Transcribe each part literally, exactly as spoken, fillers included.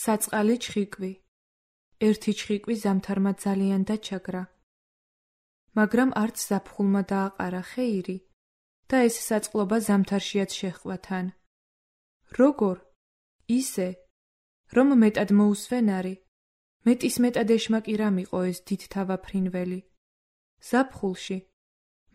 საწყალი ჩხიკვი. ერთი ჩხიკვი ზამთარმა ძალიან დაჩაგრა. მაგრამ არც ზაფხულმა დააყარა ხეირი და ეს საწყლობა ზამთარშიაც შეჰყვათან. როგორ? ისე, რომ მეტად მოუსვენარი, მეტის მეტად ეშმაკი რამ იყო ეს დიდთავა ფრინველი. ზაფხულში,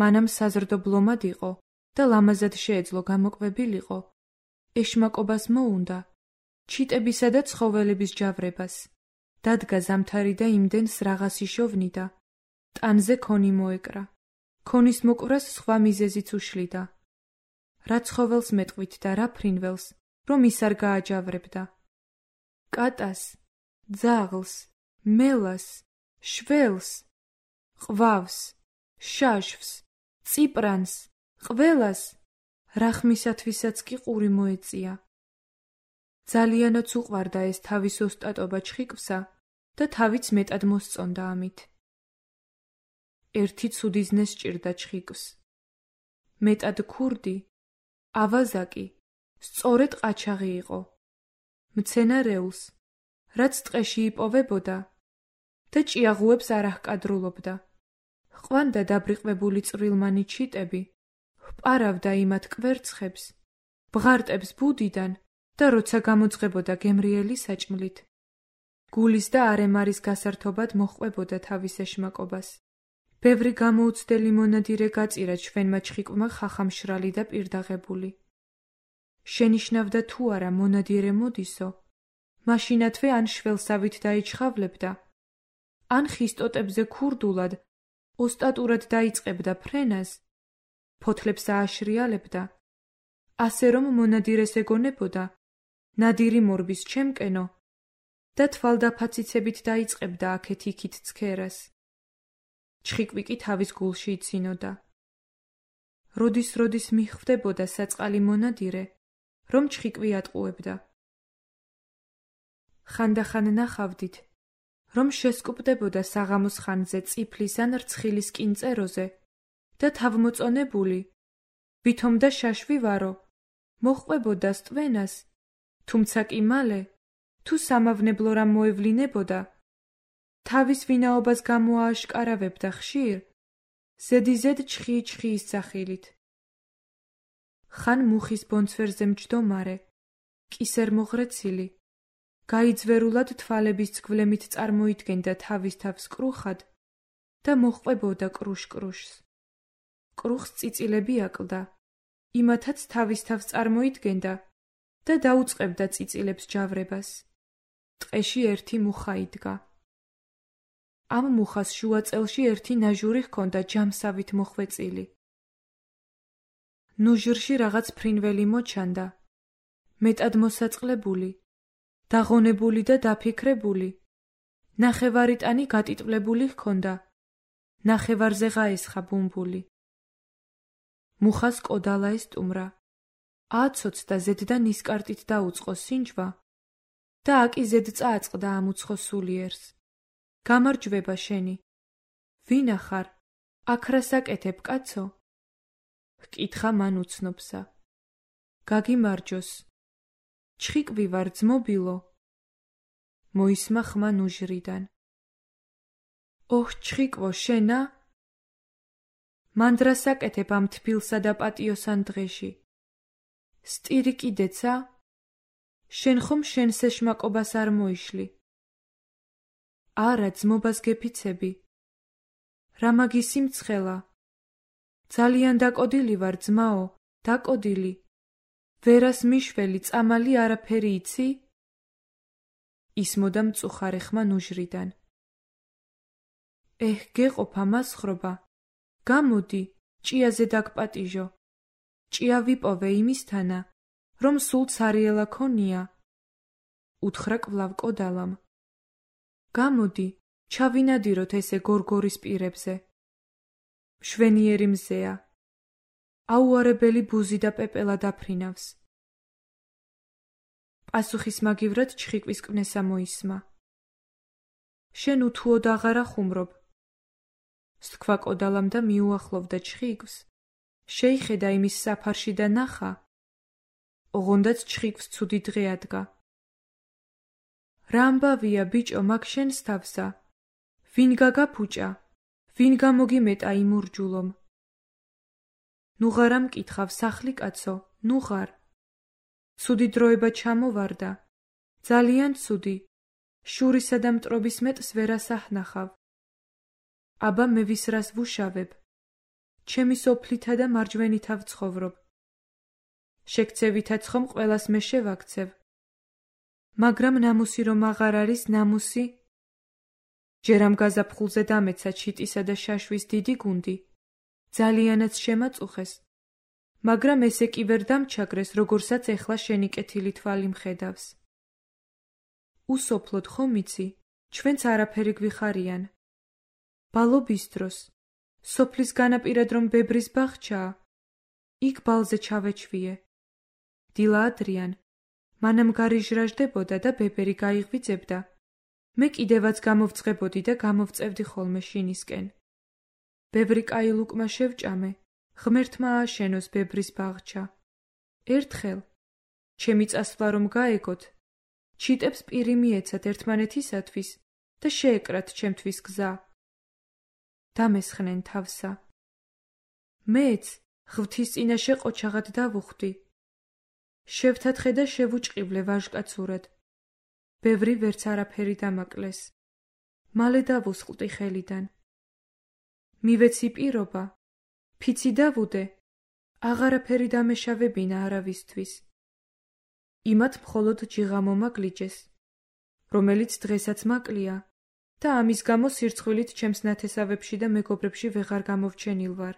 მანამ საზრდობლომად იყო და ლამაზად შეეძლო გამოკვებილიყო, ეშმაკობას მოუნდა, ჩიტებისა და ცხოველების ჯავრებას. დადგა ზამთარი და იმდენს რაღაც იშოვნიდა. ტანზე ქონი მოეკრა. ქონის მოკვრას სხვა მიზეზიც უშლიდა. რა ცხოველს მეტყვით და რა ფრინველს, რომ ის არ გააჯავრებდა. კატას, ძაღლს, მელას, შველს, ყვავს, შაშვს, წიპრანს, ყველას, რახმისათვისაც კი ყური მოეწია. ძალიანაც უყვარდა ეს თავის ოსტატობა ჩხიკვსა და თავიც მეტად მოსწონდა ამით. ერთი ცუდი ზნე სჭირდა ჩხიკვს. მეტად ქურდი, ავაზაკი, სწორედ ყაჩაღი იყო. მცენარეულს, რაც ტყეში იპოვებოდა და ჭიაღუებს არ აჰკადრულობდა. ჰყვანდა დაბრიყვებული წვრილმანი ჩიტები, ჰპარავდა იმათ კვერცხებს, ბღარტებს ბუდიდან და როცა გამოძღებოდა გემრიელი საჭმლით. გულის და არემარის გასართობად მოჰყვებოდა თავის ეშმაკობას. ბევრი გამოუცდელი მონადირე გაწირა ჩვენმა ჩხიკვმა ხახამშრალი და პირდაღებული. შენიშნავდა თუ არა მონადირე მოდისო, მაშინათვე ან შველსავით დაიჩხავლებდა, ან ხის ტოტებზე ქურდულად, ოსტატურად დაიწყებდა ფრენას, ფოთლებს ააშრიალებდა, ასე რომ მონადირეს ეგონებოდა, ნადირი მორბის ჩემკენო და თვალდაფაციცებით დაიწყებდა აქეთ-იქით ცქერას. ჩხიკვი კი თავის გულში იცინოდა. როდის-როდის მიხვდებოდა საწყალი მონადირე, რომ ჩხიკვი ატყუებდა. ხანდახან ნახავდით, რომ შესკუპდებოდა საღამოს ხანზე წიფლის ან რცხილის კინწეროზე და თავმოწონებული, ვითომ და შაშვი ვარო, მოჰყვებოდა სტვენას, თუმცა კი მალე, თუ სამავნებლო რამ მოევლინებოდა, თავის ვინაობას გამოააშკარავებდა ხშირ, ზედიზედ ჩხი-ჩხიის სახილით. ხან მუხის ბონცვერზე მჯდომარე, კისერმოღრეცილი, გაიძვერულად თვალების ცგვლემით წარმოიდგენდა თავის თავს კრუხად და მოჰყვებოდა კრუშ-კრუშს. კრუხს წიწილები აკლდა, იმათაც თავის თავს წარმოიდგენდა და დაუწყებდა წიწილებს ჯავრებას. ტყეში ერთი მუხა იდგა. ამ მუხას შუა წელში ერთი ნაჟური ჰქონდა ჯამსავით მოხვეწილი. ნუჟრში რაღაც ფრინველი მოჩანდა, მეტად მოსაწყლებული, დაღონებული და დაფიქრებული, ნახევარიტანი გატიტვლებული ჰქონდა, ნახევარზე ღაესხა ბუმბული. მუხას კოდალა ესტუმრა, ააცოცდა ზედდა ნისკარტით დაუწყო სინჯვა და აკი ზედ წააწყდა ამ უცხო სულიერს. გამარჯვება შენი. ვინა ხარ? აქ რას აკეთებ, კაცო? ჰკითხა მან უცნობსა. გაგიმარჯოს. ჩხიკვი ვარ ძმობილო. მოისმა ხმა ნუჟრიდან. ოჰ, ჩხიკვო, შენა? მან დრას აკეთებ ამ თბილსა და პატიოსან დღეში. სტირი კიდეცა? შენ ხომ შენს ეშმაკობას არ მოიშლი? არა, ძმობას გეფიცები. რა მაგისი მცხელა? ძალიან დაკოდილი ვარ, ძმაო, დაკოდილი. ვერას მიშველი, წამალი არაფერი იცი? ისმოდა მწუხარე ხმა ნუჟრიდან. ეჰ, გეყოფა მასხრობა. გამოდი, ჭიაზე დაგპატიჟო. ჭია ვიპოვე იმისთანა, რომ სულ ცარიელა ქონია. უთხრა კვლავ კოდალამ. გამოდი, ჩავინადიროთ ესე გორგორის პირებზე. მშვენიერი მზეა. აუარებელი ბუზი და პეპელა დაფრინავს. პასუხის მაგივრად ჩხიკვის კვნესა მოისმა. შენ უთუოდ აღარ ახუმრობ. სთქვა კოდალამ და მიუახლოვდა ჩხიკვს. შეიხედა იმის საფარში და ნახა. ოღონდაც ჩხიკვს ცუდი დღე ადგა. რა ამბავია ბიჭო მაგ შენს თავსა, ვინ გაგაფუჭა, ვინ გამოგიმეტა იმ ურჯულომ. ნუ ღარ ამკითხავ სახლი კაცო, ნუ ღარ. ცუდი დროება ჩამოვარდა, ძალიან ცუდი, შურისა და მტრობის მეტს ვერ ასაჰნახავ. აბა მე ვისრას ვუშავებ, ჩემი სოფლითა და მარჯვენითა ვცხოვრობ. შეკცევითაც ხომ ყველას მე შევაქცევ. მაგრამ ნამუსი რომ აღარ არის ნამუსი? ჯერ ამ გაზაფხულზე დამეცა ჩიტისა და შაშვის დიდი გუნდი, ძალიანაც შემაწუხეს, მაგრამ ესე კი ვერ დამჩაგრეს, როგორსაც ეხლა შენი კეთილი თვალი მხედავს. უსოფლოდ ხომ იცი, ჩვენც არაფერი გვიხარიან. ბალობის დროს, სოფლის განაპირად რომ ბებრის ბაღჩაა, იქ ბალზე ჩავეჩვიე. დილა ადრიან, მანამ გარიჟრაჟდებოდა და ბებერი გაიღვიძებდა. მე კიდევაც გამოვწყებოდი და გამოვწევდი ხოლმე შინისკენ. ბევრი კაი ლუკმა შევჭამე, ღმერთმა ააშენოს ბებრის ბაღჩა. ერთხელ, ჩემი წასვლა რომ გაეგოთ, ჩიტებს პირი მიეცათ ერთმანეთისათვის და შეეკრათ ჩემთვის გზა. დამესხნენ თავსა. მეც ღვთის წინაშე ყოჩაღად დავუხვდი. შევთათხე და შევუჭყივლე ვაჟკაცურად. ბევრი ვერც არაფერი დამაკლეს. მალე დავუსყლტი ხელიდან. მივეცი პირობა, ფიცი დავუდე, აღარაფერი დამეშავებინა არავისთვის. იმათ მხოლოდ ჯიღა მომაგლიჯეს, რომელიც დღესაც მაკლია და ამის გამო სირცხვილით ჩემს ნათესავებში და მეგობრებში ვეღარ გამოვჩენილ ვარ.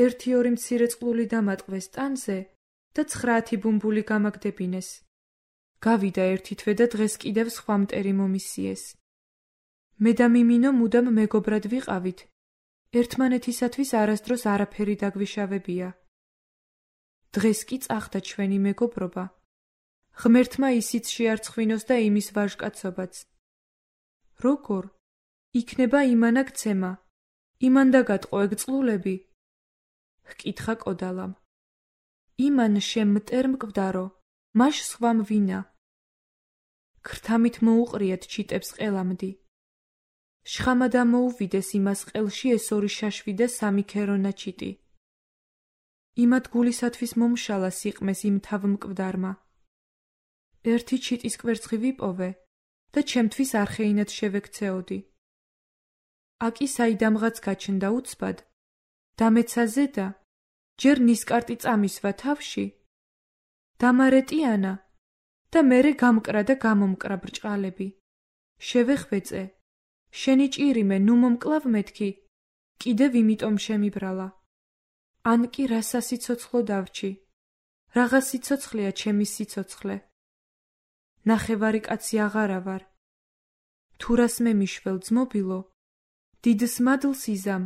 ერთი ორი მცირე წყლული დამატყვეს ტანზე და ცხრაათი ბუმბული გამაგდებინეს. გავიდა ერთი თვე და დღეს კიდევ სხვა მტერი მომისიეს. მე და მიმინო მუდამ მეგობრად ვიყავით. ერთმანეთისათვის არასდროს არაფერი დაგვიშავებია. დღეს კი წახდა ჩვენი მეგობრობა. ღმერთმა ისიც შეარცხვინოს და იმის ვაჟკაცობაც. როგორ? იქნება იმანა გცემა, იმან დაგატყო ეგ წყლულები? ჰკითხა კოდალამ. იმან შემ მტერ მკვდარო, მაშ სხვამ ვინა. ქრთამით მოუყრიათ ჩიტებს ყელამდი. შხამა დამოუვიდეს იმას ყელში ეს ორი შაშვი და სამი ქერონა ჩიტი. იმათ გულისათვის მომშალა სიყმეს იმ თავ მკვდარმა. ერთი ჩიტის კვერცხი ვიპოვე და ჩემთვის არხეინად შევექცეოდი. აკი საიდამღაც გაჩნდა უცბად, დამეცა ზედა, ჯერ ნისკარტი წამისვა თავში, დამარეტიანა და მერე გამკრა და გამომკრა ბრჭყალები. შევეხვეწე, შენი ჭირიმე ნუ მომკლავ მეთქი, კიდევ იმიტომ შემიბრალა. ან კი რა სასიცოცხლო დავრჩი, რაღა სიცოცხლეა ჩემი სიცოცხლე. ნახევარი კაცი აღარა ვარ. თუ რას მე მიშվել ძმობილო, დიდს მადლს იზამ.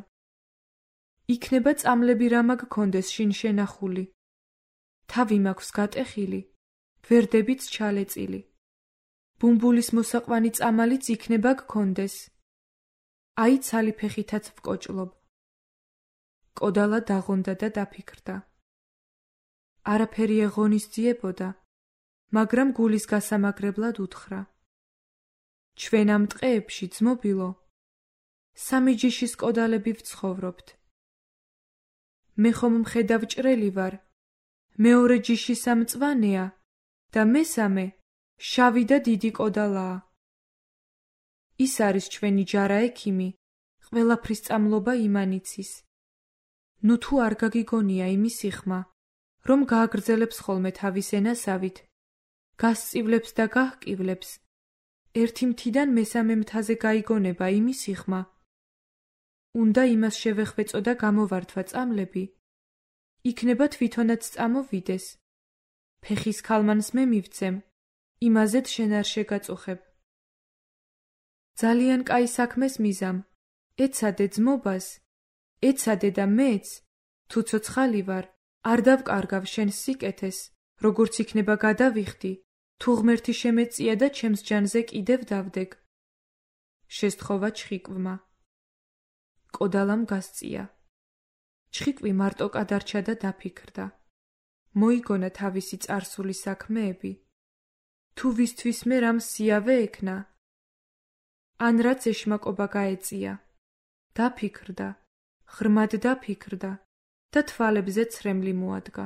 იქნება წამლები რა მაგ-კონდეს შინ შენახული. თავი მაქვს გატეხილი, გვერდებიც ჩალეწილი. ბუმბულის მოსაყვანი წამალიც იქნება გქონდეს. აი ცალი ფეხითაც ვკოჭლობ. კოდალა დაღონდა და დაფიქრდა. არაფერი ეღონისძიებოდა, მაგრამ გულის გასამაგრებლად უთხრა. ჩვენ ამ ტყეებში ძმობილო, სამი ჯიშის კოდალები ვცხოვრობთ. მე ხომ მხედავ ჭრელი ვარ, მეორე ჯიში სამწვანეა და მესამე შავი და დიდი კოდალაა. ის არის ჩვენი ჯარა ექიმი, ყველაფრის წამლობა იმანიცის. ნუ თუ არ გაგიგონია იმის იხმა, რომ გააგრძელებს ხოლმე თავის ენასავით, გასწივლებს და გაჰკივლებს, ერთი მთიდან მესამე მთაზე გაიგონება იმის იხმა. უნდა იმას შევეხვეწო და გამოვართვა წამლები, იქნება თვითონაც წამოვიდეს. ფეხის ქალმანს მე მივცემ, იმაზეც შენ არ შეგაწუხებ. ძალიან კაი საქმეს მიზამ, ეცადე ძმობას, ეცადე და მეც, თუ ცოცხალი ვარ, არ დავკარგავ შენს სიკეთეს, როგორც იქნება გადავიხდი, თუ ღმერთი შემეწია და ჩემს ჯანზე კიდევ დავдэг. შესთხოვა ჩხიკვმა. კოდალამ გასწია. ჩხიკვი მარტო კადარჩა და დაფიქრდა. მოიგონა თავისი წარსული საქმეები. თუ ვისთვისმე რამ სიავე ექნა? ან რაც ეშმაკობა გაეწია. დაფიქრდა, ღრმად დაფიქრდა და თვალებზე ცრემლი მოადგა.